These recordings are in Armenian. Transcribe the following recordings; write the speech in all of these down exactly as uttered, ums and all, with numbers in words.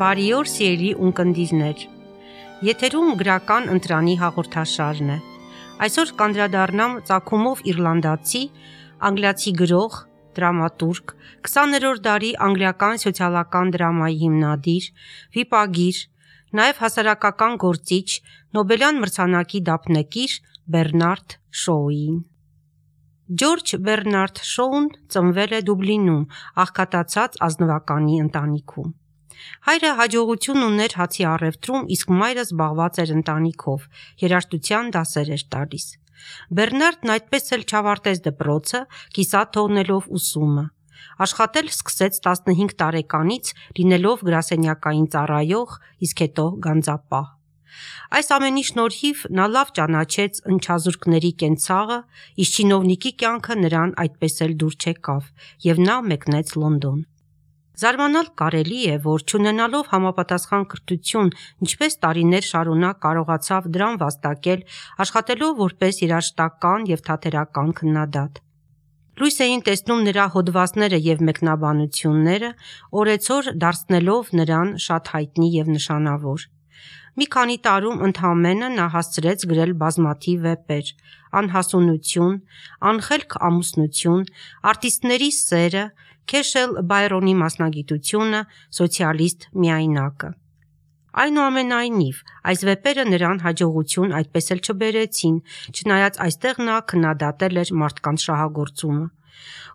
Բարի օր սիրելի ունկնդիրներ, եթերում գրական ընտրանի հաղորդաշարն է։ Այսօր կանդրադառնամ ծագումով իռլանդացի, անգլիացի գրող, դրամատուրգ, քսաներորդ դարի անգլիական սոցիալական դրամայի հիմնադիր, վիպագիր, նաև հասարակական գործիչ, Նոբելյան մրցանակի դափնեկիր Բեռնարդ Շոուին։ Ջորջ Բեռնարդ Շոուն ծնվել է Դուբլինում, աղքատացած ազնվականի ընտանիքում։ Հայրը հաջողություն ուներ հացի առևտրում, իսկ մայրը զբաղված էր ընտանիքով, երաժշտության դասեր էր տալիս։ Բեռնարդն այդպես էլ չավարտեց դպրոցը, կիսատ թողնելով ուսումը։ Աշխատել սկսեց տասնհինգ տարեկանից, լինելով գրասենյակային ծառայող, իսկ հետո գանձապահ։ Այս ամենի շնորհիվ նա լավ ճանաչեց ընչազուրկների կենցաղը, իսկ չինովնիկի կյանքը նրան այդպես էլ դուր չեկավ, և նա մեկնեց Լոնդոն։ Զարմանալ կարելի է, որ չունենալով համապատասխան կրթություն, ինչպես տարիներ շարունակ կարողացավ դրան վաստակել, աշխատելով որպես երաժշտական և թատերական քննադատ։ Լույս էին տեսնում նրա հոդվածները և մեկնաբանությունները, օրեցօր դարձնելով նրան շատ հայտնի և նշանավոր։ Մի քանի տարում ընդամենը նա հասցրեց գրել բազմաթիվ վեպեր՝ «Անհասունություն», «Անխելք ամուսնություն», «Արտիստների սերը», քեշել Բայրոնի մասնագիտությունը, «Սոցիալիստ միայնակը»։ Այնուամենայնիվ, այս վեպերը նրան հաջողություն այդպես էլ չբերեցին, չնայած այստեղ նա քննադատել էր մարդկանց շահագործումը։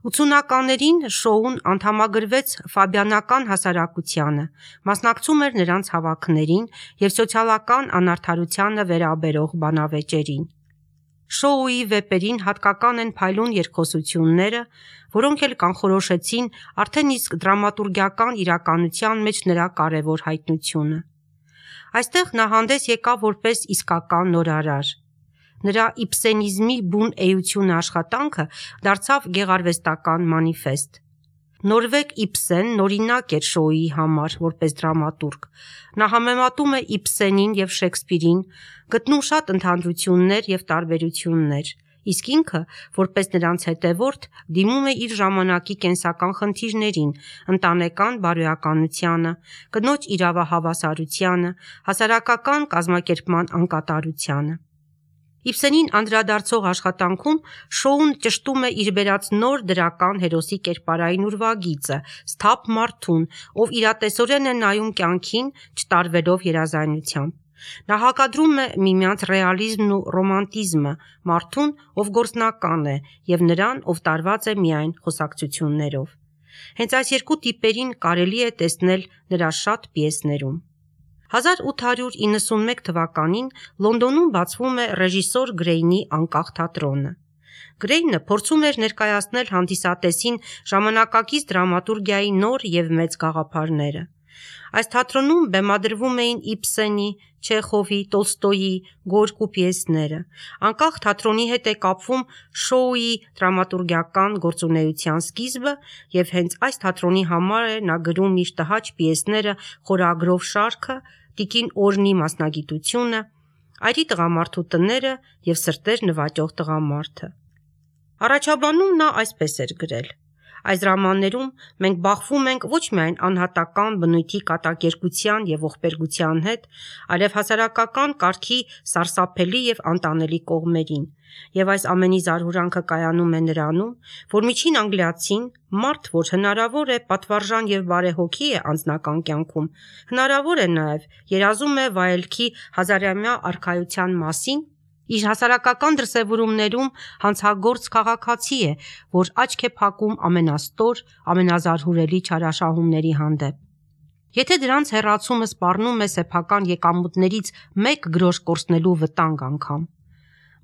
ութսունականներին Շոուն անդամագրվեց Ֆաբիանական հասարակությանը, մասնակցում էր նրանց հավաքներին և սոցիալական անարդարությանը վերաբերող բանավեճերին։ Շոուի վեպերին հատկական են փայլուն երկխոսությունները, որոնք էլ կանխորոշեցին արդեն իսկ դրամատուրգիական իրականության մեջ նրա կարևոր հայտնությունը։ Այստեղ նա հանդես եկավ որպես իսկական նորարար։ Նրա իբսենիզմի բուն էությունը աշխատանքը դարձավ գեղարվեստական մանիֆեստ։ Նորվեգ Իբսենն օրինակ էր Շոուի համար որպես դրամատուրգ։ Նա համեմատում է Իբսենին և Շեքսպիրին, գտնում շատ ընդհանրություններ և տարբերություններ, իսկ ինքը, որպես նրանց հետևորդ, դիմում է իր ժամանակի կենսական խնդիրներին, ընտանեկան բարոյականությանը, կնոջ իրավահավասարությանը, հասարակական կազմակերպման անկատարությանը։ Իբսենին անդրադարձող աշխատանքում Շոուն ճշտում է իր բերած նոր դրական հերոսի կերպարային ուրվագիծը՝ սթափ մարդուն, ով իրատեսորեն է նայում կյանքին՝ չտարվելով երազանությամբ։ Նա հակադրում է միմյանց ռեալիզմն ու ռոմանտիզմը, մարդուն, ով գործնական է, և նրան, ով տարված է միայն խոսակցություններով։ Հենց այս երկու տիպերին կարելի է տեսնել նրա շատ պիեսներում։ հազար ութ հարյուր իննսունմեկ թվականին Լոնդոնում բացվում է ռեժիսոր Գրեյնի անկախ թատրոնը։ Գրեյնը փորձում էր ներկայացնել հանդիսատեսին ժամանակակից դրամատուրգիայի նոր և մեծ գաղափարները։ Այս թատրոնում բեմադրվում էին Իբսենի, Չեխովի, Տոլստոյի, Գորկու պիեսները։ Անկախ թատրոնի հետ է կապվում Շոուի դրամատուրգիական գործունեության սկիզբը, և հենց այս թատրոնի համար է նա գրում իր տհաճ պիեսները խորագրով շարքը, Տիկին Օրնի մասնագիտությունը, Այրի տղամարդու տները և Սրտեր նվաճող տղամարդը։ Առաջաբանում նա այսպես էր գրել. «Այս դրամաներում մենք բախվում ենք ոչ միայն անհատական բնույթի կատակերգության և ողբերգության հետ, այլև հասարակական կարգի սարսափելի և անտանելի կողմերին, և այս ամենի զարհուրանքը կայանում է նրանում, որ միջին անգլիացին, մարդ, որ հնարավոր է պատվարժան և բարեհոգի է անձնական կյանքում, հնարավոր է նաև երազում է վայելքի հազարամյա արքայության մասին, իր հասարակական դրսևորումներում հանցագործ քաղաքացի է, որ աչք է փակում ամենաստոր, ամենազարհուրելի չարաշահումների հանդեպ։ Եթե դրանց հեռացումը սպառնում է սեփական եկամուտներից մեկ գրոշ կորցնելու վտանգ անգամ։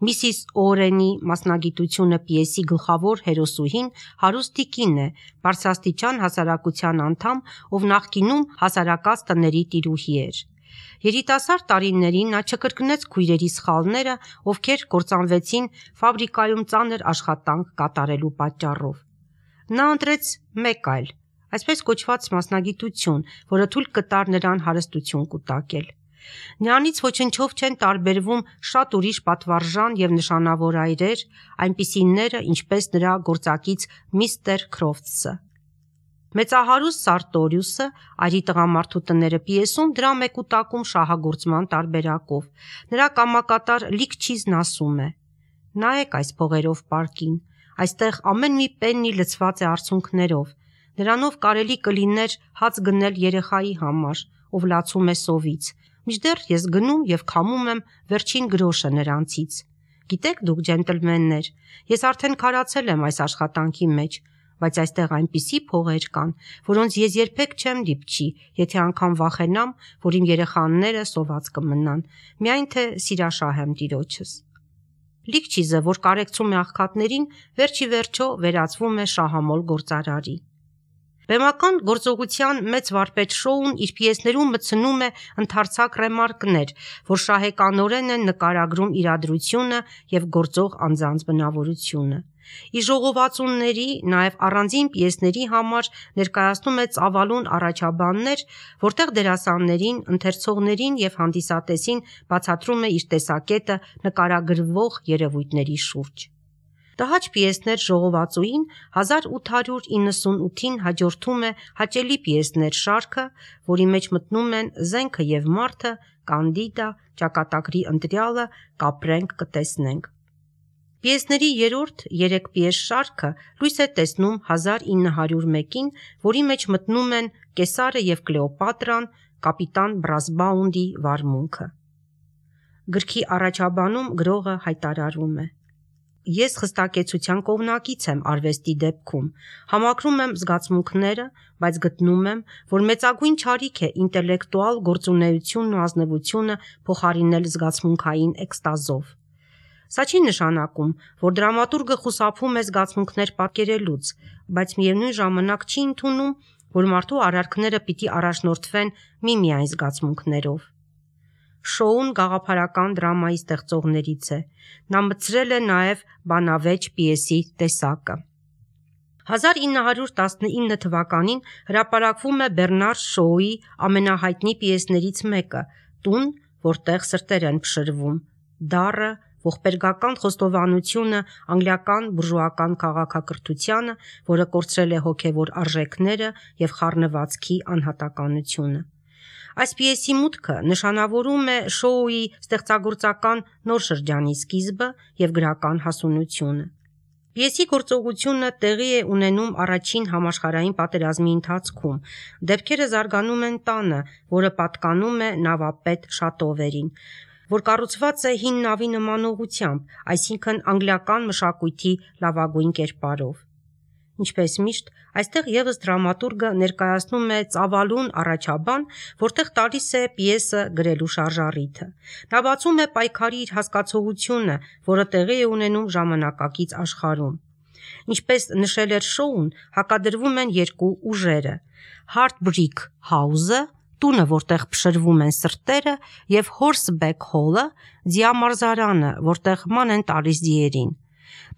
Միսիս Օուենի մասնագիտությունը պիեսի գլխավոր հերոսուհին հարուստ տիկին է, բարձրաստիճան հասարակության անդամ, ով նախկինում հասարակած տների տիրուհի էր։ Երիտասարդ տարիներին նա չկրկնեց քույրերի սխալները, ովքեր կործանվեցին ֆաբրիկայում ծանր աշխատանք կատարելու պատճառով։ Նա ընտրեց մեկ այլ, այսպես կոչված մասնագիտություն, որը թույլ կտար նրան հարստություն կուտակել։ Նրանից ոչնչով չեն տարբերվում շատ ուրիշ պատվարժան և նշանավոր այրեր, այնպիսիները, ինչպես նրա գործակից միստր Քրոֆթսը։ Մեծահարուստ Սարտորիուսը «Այրի տղամարդու տները» պիեսում դրա մեկուտակում շահագործման տարբերակով նրա կամակատար Լիկչիզն ասում է. «Նայեք այս փողերով պարկին, այստեղ ամեն մի պեննի լցված է արցունքներով, նրանով կարելի կլիներ հաց գնել երեխայի համար, ով լացում է սովից, մինչդեռ ես գնում և քամում եմ վերջին գրոշը նրանցից։ Գիտեք դուք, ջենտլմեններ, ես արդեն քարացել եմ այս աշխատանքի մեջ, բայց այստեղ այնպիսի փողեր կան, որոնց ես երբեք չեմ դիպչի, եթե անգամ վախենամ, որ իմ երեխաները սոված կմնան, միայն թե սիրաշահ եմ տիրոջս»։ Լիկչիզը, որ կարեկցում է աղքատներին, վերջի վերջո վերածվում է շահամոլ գործարարի։ Բեմական գործողության մեծ վարպետ Շոուն իր պիեսներում մտցնում է ընդարձակ ռեմարկներ, որ շահեկանորեն են նկարագրում իրադրությունը և գործող անձանց բնավորությունը։ Իր ժողովածուների, նաև առանձին պիեսների համար ներկայացնում է ծավալուն առաջաբաններ, որտեղ դերասաններին, ընթերցողներին և հանդիսատեսին բացատրում է իր տեսակետը նկարագրվող երևույթների շուրջ։ Տհաճ պիեսներ ժողովածուին հազար ութ հարյուր իննսունութին հաջորդում է հաճելի պիեսներ շարքը, որի մեջ մտնում են «Զենքը և մարդը», «Կանդիդա», «Ճակատագրի ընտրյալը», «Կապրենք, կտեսնենք»։ Պիեսների երրորդ երեք պիես շարքը լույս է տեսնում հազար ինը հարյուր մեկին, որի մեջ մտնում են «Կեսարը և Կլեոպատրան», «Կապիտան Բրասբաունդի վարմունքը»։ Գրքի առաջաբանում գրողը հայտարարում է. «Ես խստակեցության կողմնակից եմ արվեստի դեպքում, համակրում եմ զգացմունքները, բայց գտնում եմ, որ մեծագույն չարիք է ինտելեկտուալ գործունեությունն ու ազնվությունը փոխարինել զգացմունքային էքստազով։ Սա չի նշանակում, որ դրամատուրգը խուսափում է զգացմունքներ պատկերելուց, բայց միևնույն ժամանակ չի ընդունում, որ մարդու արարքները պիտի առաջնորդվեն միմիայն զգացմունքներով»։ Շոուն գաղափարական դրամայի ստեղծողներից է։ Նա մտցրել է նաև բանավեճ պիեսի տեսակը։ հազար ինը հարյուր տասնինը թվականին հրապարակվում է Բեռնար Շոուի ամենահայտնի պիեսներից մեկը՝ «Տուն, որտեղ սրտեր են փշրվում», դառը, ողբերգական խոստովանությունը անգլիական բուրժուական քաղաքակրթությանը, որը կորցրել է հոգևոր արժեքները և խառնվածքի անհատականությունը։ Այս պիեսի մուտքը նշանավորում է Շոուի ստեղծագործական նոր շրջանի սկիզբը և գրական հասունությունը։ Պիեսի գործողությունը տեղի է ունենում առաջին համաշխարհային պատերազմի ընթացքում, դեպքերը զարգանում են տանը, որը պատկանում է նավապետ Շատովերին, որ կառուցված է հին նավի նմանողությամբ, այսինքն անգլիական մշակույթի լավագույն կերպարով։ Ինչպես միշտ, այստեղ ևս դրամատուրգը ներկայացնում է ծավալուն առաջաբան, որտեղ տալիս է պիեսը գրելու շարժառիթը։ Նա բացում է պայքարի իր հասկացողությունը, որը տեղի է ունենում ժամանակակից աշխարհում։ Ինչպես նշել էր Շոուն, հակադրվում են երկու ուժերը՝ Heartbreak House-ը, տունը, որտեղ փշրվում են սրտերը, և Horseback Hall-ը, ձիամարզարանը, որտեղ ման են տալիս ձիերին։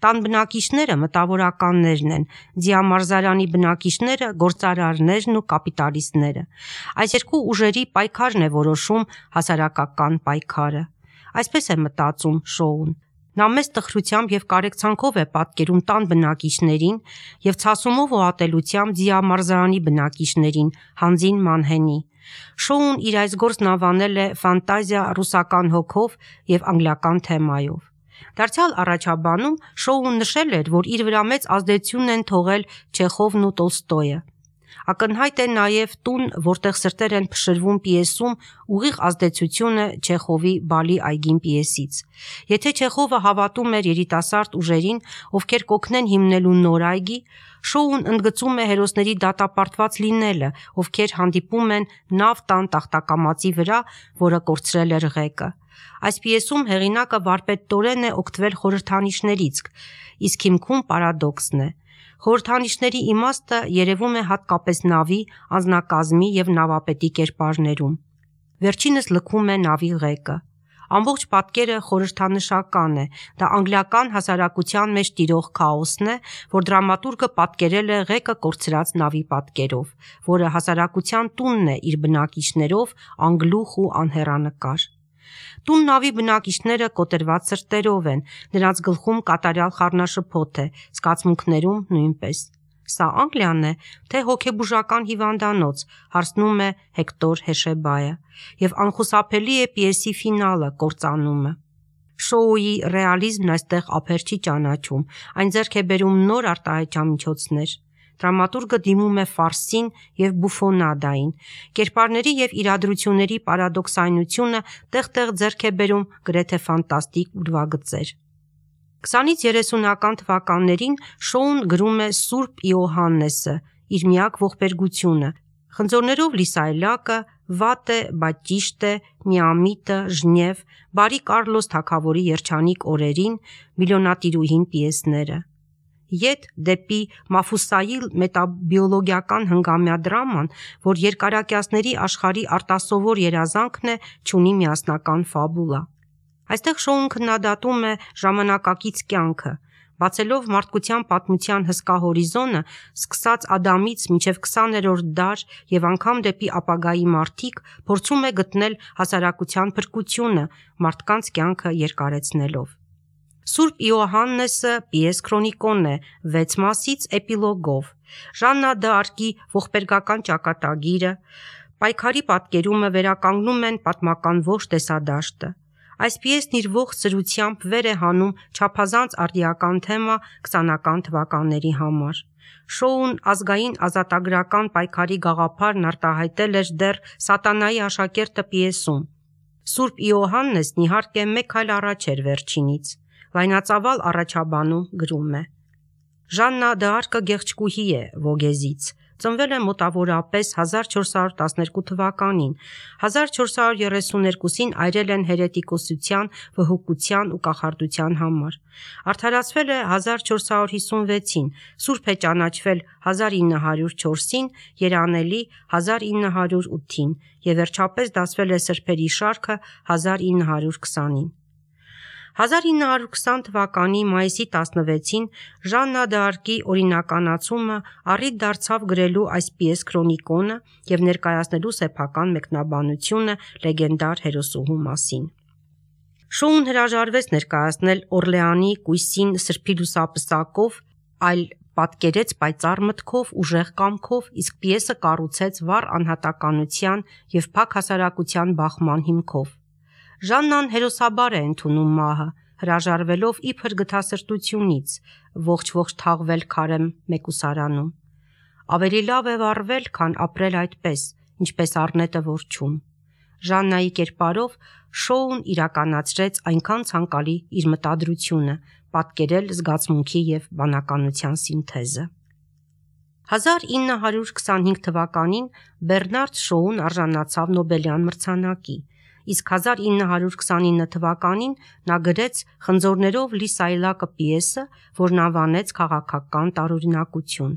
Տան բնակիչները մտավորականներն են, ձիամարզարանի բնակիչները գործարարներն ու կապիտալիստները։ Այս երկու ուժերի պայքարն է որոշում հասարակական պայքարը։ Այսպես է մտածում Շոուն։ Նա մեծ տխրությամբ և կարեկցանքով է պատկերում տան բնակիչներին և ցասումով ու ատելությամբ ձիամարզարանի բնակիչներին, հանձին մանհենի։ Շոուն իր այս գործն անվանել է «ֆանտազիա ռուսական հոգով և անգլիական թեմայով»։ Դարձյալ առաջաբանում Շոուն նշել էր, որ իր վրա մեծ ազդեցություն են թողել Չեխովն ու Տոլստոյը։ Ակնհայտ է նաև «Տուն, որտեղ սրտեր են փշրվում» պիեսում ուղիղ ազդեցությունը Չեխովի «Բալի այգին» պիեսից։ Եթե Չեխովը հավատում էր երիտասարդ ուժերին, ովքեր կօգնեն հիմնելու նոր այգի, Շոուն ընդգծում է հերոսների դատապարտված լինելը, ովքեր հանդիպում են նավ տան տախտակամածի վրա, որը կորցրել էր ղեկը։ Այս պիեսում հեղինակը վարպետորեն է օգտվել խորհրդանիշներից, իսկ հիմքում պարադոքսն է։ Խորհրդանիշների իմաստը երևում է հատկապես նավի, անձնակազմի և նավապետի կերպարներում։ Վերջինս լքում է նավի ղեկը։ Ամբողջ պատկերը խորհրդանշական է, դա անգլիական հասարակության մեջ տիրող քաոսն է, որ դրամատուրգը պատկերել է ղեկը կորցրած նավի պատկերով, որը հասարակության տունն է իր բնակիչներով, անգլուխ ու անհեռանկար։ Տուն նավի բնակիչները կոտրված սրտերով են, նրանց գլխում կատարյալ խառնաշփոթ է, զգացմունքներում նույնպես։ Սա Անգլիան է, թե հոգեբուժական հիվանդանոց, հարցնում է Հեկտոր Հեշեբայը, եւ անխուսափելի է պիեսի ֆինալը, կործանումը։ Շոուի ռեալիզմն այստեղ ափեր չի ճանաչում, այն ձեռք է բերում նոր արտահայտչամիջոցներ։ Դրամատուրգը դիմում է ֆարսին եւ բուֆոնադային, կերպարների եւ իրադրությունների պարադոքսայնությունը տեղ-տեղ ձեռք է բերում գրեթե ֆանտաստիկ ուրվագծեր։ քսանից երեսունական թվականներին շոուն գրում է Սուրբ Իոհաննեսը, իր միակ ողբերգությունը, խնձորներով լիսայլակը, վատ է, բայց ճիշտ է, միամիտը, ժնև, բարի Կարլոս թագավորի երջանիկ օրերին, միլիոնատիրուհին պիեսները։ Ետ դեպի Մաֆուսայիլ մետաբիոլոգիական հնգամյա դրաման, որ երկարակյացների աշխարհի արտասովոր երազանքն է, չունի միասնական ֆաբուլա։ Այստեղ շոուն քննադատում է ժամանակակից կյանքը, բացելով մարդկության պատմության հսկա հորիզոնը, սկսած Ադամից մինչև քսաներորդ դար եւ անգամ դեպի ապագայի մարդիկ, փորձում է գտնել հասարակության փրկությունը, մարդկանց կյանքը երկարեցնելով։ Սուրբ Իոհաննեսը պիես քրոնիկոն է, վեց մասից էպիլոգով։ Ժաննա դ'Արկի ողբերգական ճակատագիրը, պայքարի պատկերումը վերականգնում են պատմական ողջ տեսադաշտը։ Այս պիեսն իր ողջ սրությամբ վեր է հանում չափազանց արդիական թեմա քսանական թվականների համար։ Շոուն ազգային ազատագրական պայքարի գաղափարն արտահայտել էր դեռ Սատանայի աշակերտը պիեսում։ Սուրբ Իոհաննեսն իհարկե մեկ այլ առաջ էր վերջինից։ Լայնածավալ առաջաբանում գրում է. Ժաննա դ'Արկը գեղեցկուհի է Վոգեզից, ծնվել է մոտավորապես հազար չորս հարյուր տասներկու թվականին, հազար չորս հարյուր երեսուներկուսին այրել են հերետիկոսության, վհուկության ու կախարդության համար։ Արդարացվել է հազար չորս հարյուր հիսունվեցին, սուրբ է ճանաչվել հազար ինը հարյուր չորսին, երանելի հազար ինը հարյուր ութին եւ վերջապես դասվել է սրբերի շարքը հազար ինը հարյուր քսանին։ հազար ինը հարյուր քսան թվականի մայիսի տասնվեցին Ժաննա դ'Արկի օրինականացումը առիթ դարձավ գրելու այս պիես քրոնիկոնը եւ ներկայացնելու սեփական մեկնաբանությունը լեգենդար հերոսուհու մասին։ Շոուն հրաժարվեց ներկայացնել Օրլեանի կույսին սրբի լուսապսակով, այլ պատկերեց պայծառ մտքով, ուժեղ կամքով, իսկ պիեսը կառուցեց վառ անհատականության եւ փակ հասարակության բախման հիմքով։ Ժաննան հերոսաբար է ընդունում մահը, հրաժարվելով իբր գթասրտությունից, ողջ-ողջ թաղվել քարեմ մեկուսարանում։ Ավելի լավ է վառվել, քան ապրել այդպես, ինչպես առնետը որջում։ Ժաննայի կերպարով շոուն իրականացրեց այնքան ցանկալի իր մտադրությունը, պատկերել զգացմունքի եւ բանականության սինթեզը։ հազար ինը հարյուր քսանհինգ թվականին Բեռնարդ Շոուն արժանացավ Նոբելյան մրցանակի, իսկ հազար ինը հարյուր քսանինը թվականին նա գրեց Խնձորներով լի սայլակը պիեսը, որն անվանեց քաղաքական տարօրինակություն։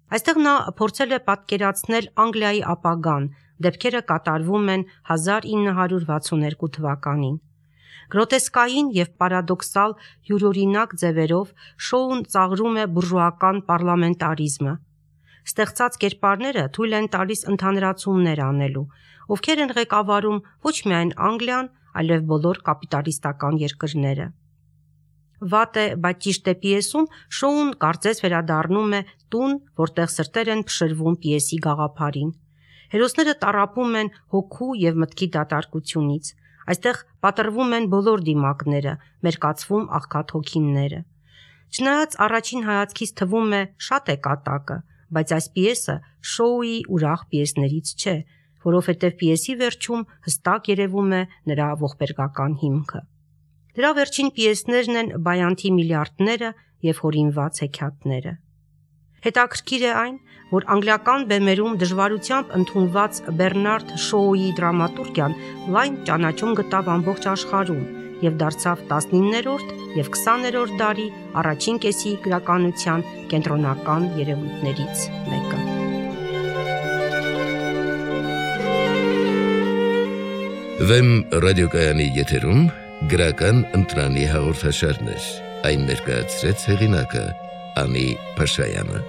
Այստեղ նա փորձել է պատկերացնել Անգլիայի ապագան, դեպքերը կատարվում են հազար ինը հարյուր վաթսուներկու թվականին։ Գրոտեսկային եւ պարադոքսալ յուրօրինակ ձևերով շոուն ծաղրում է բուրժուական պարլամենտարիզմը։ Ստեղծած կերպարները թույլ են տալիս ընդհանրացումներ անելու, ովքեր են ղեկավարում ոչ միայն Անգլիան, այլև բոլոր կապիտալիստական երկրները։ Վատ է, բայց ճիշտ է պիեսում շոուն կարծես վերադառնում է տուն, որտեղ սրտեր են փշրվում պիեսի գաղափարին։ Հերոսները տառապում են հոգու եւ մտքի դատարկությունից։ Այստեղ պատրվում են բոլոր դիմակները, մերկացվում աղքատ հոգինները։ Չնայած առաջին հայացքից թվում է շատ է կատակը, բայց այս պիեսը շոուի ուրախ պիեսներից չէ, որովհետև պիեսի վերջում հստակ երևում է նրա ողբերգական հիմքը։ Դրա վերջին պիեսներն են Բայանթի միլիարդները եւ հորինված հեքիաթները։ Հետաքրքիր է այն, որ անգլիական բեմերում դժվարությամբ ընդունված Բեռնարդ Շոուի դրամատուրգիան լայն ճանաչում գտավ ամբողջ աշխարհում եւ դարձավ տասնիններորդ եւ քսաներորդ դարի առաջին կեսի գրականության կենտրոնական երևույթներից մեկը։ Վեմ ռադիոկայանի եթերում գրական ընտրանի հաղորդաշարներ, այն ներկայացրեց հեղինակը Անի Փաշայանը։